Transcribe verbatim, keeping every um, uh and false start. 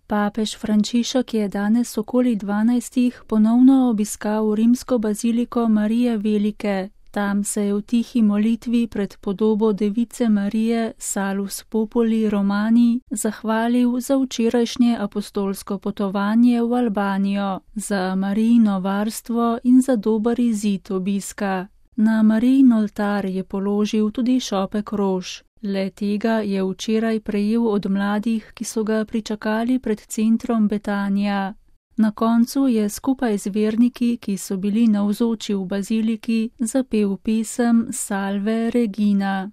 Papež Frančišek je danes okoli dvanajstih ponovno obiskal rimsko baziliko Marije Velike. Tam se je v tihi molitvi pred podobo Device Marije Salus Populi Romani zahvalil za včerajšnje apostolsko potovanje v Albanijo, za Marijino varstvo in za dober izid obiska. Na Marijin oltar je položil tudi šopek rož. Le tega je včeraj prejel od mladih, ki so ga pričakali pred centrom Betanija. Na koncu je skupaj z verniki, ki so bili navzoči v baziliki, zapel pesem Salve Regina.